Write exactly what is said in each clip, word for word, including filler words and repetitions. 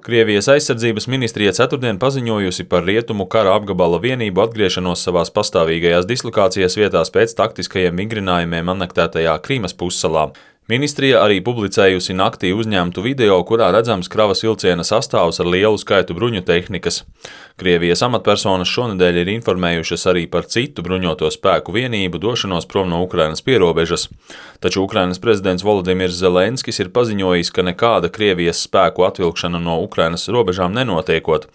Krievijas aizsardzības ministrija ceturtdien paziņojusi par rietumu kara apgabala vienību atgriešanos savās pastāvīgajās dislokācijas vietās pēc taktiskajiem vingrinājumiem anektētajā Krīmas pussalā. Ministrija arī publicējusi naktī uzņemtu video, kurā redzams kravas vilciena sastāvs ar lielu skaitu bruņu tehnikas. Krievijas amatpersonas šonedēļ ir informējušas arī par citu bruņoto spēku vienību došanos prom no Ukrainas pierobežas. Taču Ukrainas prezidents Volodimirs Zelenskis ir paziņojis, ka nekāda Krievijas spēku atvilkšana no Ukrainas robežām nenotiekot.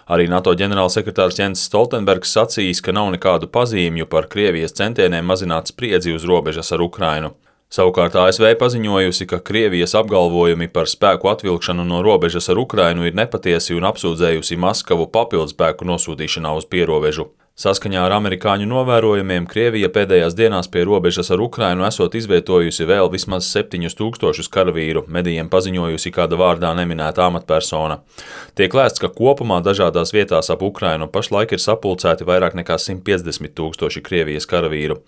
Arī NATO ģenerālsekretārs Jens Stoltenbergs sacījis, ka nav nekādu pazīmju par Krievijas centieniem mazināt spriedzi uz robežas ar Ukrainu. Savukārt A S V paziņojusi, ka Krievijas apgalvojumi par spēku atvilkšanu no robežas ar Ukrainu ir nepatiesi un apsūdzējusi Maskavu papildspēku nosūtīšanā uz pierobežu. Saskaņā ar amerikāņu novērojumiem Krievija pēdējās dienās pie robežas ar Ukrainu esot izvietojusi vēl vismaz septiņus tūkstošus karavīru, medijiem paziņojusi kāda vārdā neminēta amatpersona. Tiek lēsts, ka kopumā dažādās vietās ap Ukrainu pašlaik ir sapulcēti vairāk nekā simt piecdesmit tūkstoši Krievijas karavīru.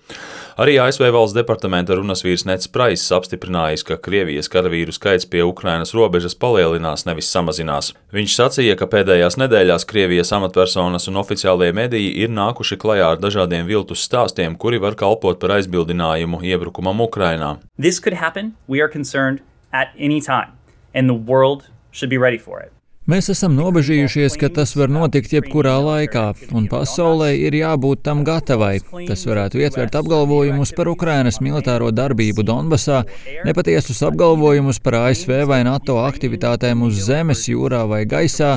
Arī A S V valsts departamenta runasvīrs Neds Praiss apstiprinājis, ka Krievijas karavīru skaits pie Ukrainas robežas palielinās, nevis samazinās. Viņš sacīja, ka pēdējās nedēļās Krievijas amatpersonas un oficiālie mediji ir nākuši klajā ar dažādiem viltus stāstiem, kuri var kalpot par aizbildinājumu iebrukumam Ukrainā. This could happen. We are concerned at any time, and the world should be ready for it. Mēs esam nobežījušies, ka tas var notikt jebkurā laikā, un pasaulē ir jābūt tam gatavai. Tas varētu ietvert apgalvojumus par Ukrainas militāro darbību Donbasā, nepatiesus apgalvojumus par A S V vai NATO aktivitātēm uz zemes, jūrā vai gaisā,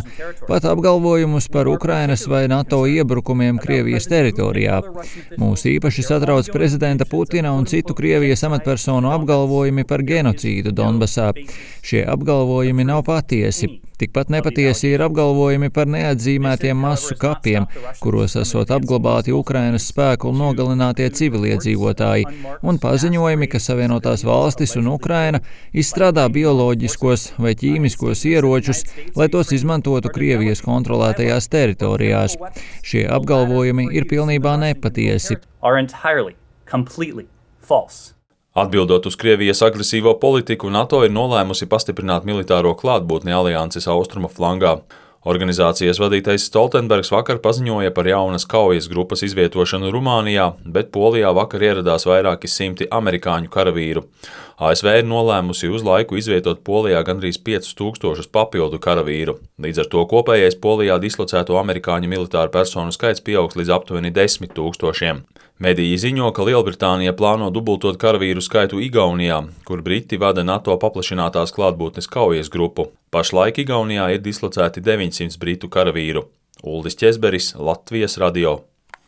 pat apgalvojumus par Ukrainas vai NATO iebrukumiem Krievijas teritorijā. Mūs īpaši satrauc prezidenta Putina un citu Krievijas amatpersonu apgalvojumi par genocīdu Donbasā. Šie apgalvojumi nav patiesi. Tikpat nepatiesi ir apgalvojumi par neatzīmētiem masu kapiem, kuros esot apglabāti Ukrainas spēku un nogalinātie civiliedzīvotāji, un paziņojumi, ka Savienotās valstis un Ukraina izstrādā bioloģiskos vai ķīmiskos ieročus, lai tos izmantotu Krievijas kontrolētajās teritorijās. Šie apgalvojumi ir pilnībā nepatiesi. Atbildot uz Krievijas agresīvo politiku, NATO ir nolēmusi pastiprināt militāro klātbūtni alianses austrumu flangā. Organizācijas vadītais Stoltenbergs vakar paziņoja par jaunas kaujas grupas izvietošanu Rumānijā, bet Polijā vakar ieradās vairāki simti amerikāņu karavīru. A S V ir nolēmusi uz laiku izvietot Polijā gandrīz piecus tūkstošus papildu karavīru. Līdz ar to kopējais Polijā dislocēto amerikāņu militāru personu skaits pieaugs līdz aptuveni desmit tūkstošiem. Mediji ziņo, ka Lielbritānija plāno dubultot karavīru skaitu Igaunijā, kur Briti vada NATO paplašinātās klātbūtnes kaujas grupu. Pašlaik Igaunijā ir dislocēti deviņsimt britu karavīru. Uldis Ķezberis, Latvijas radio.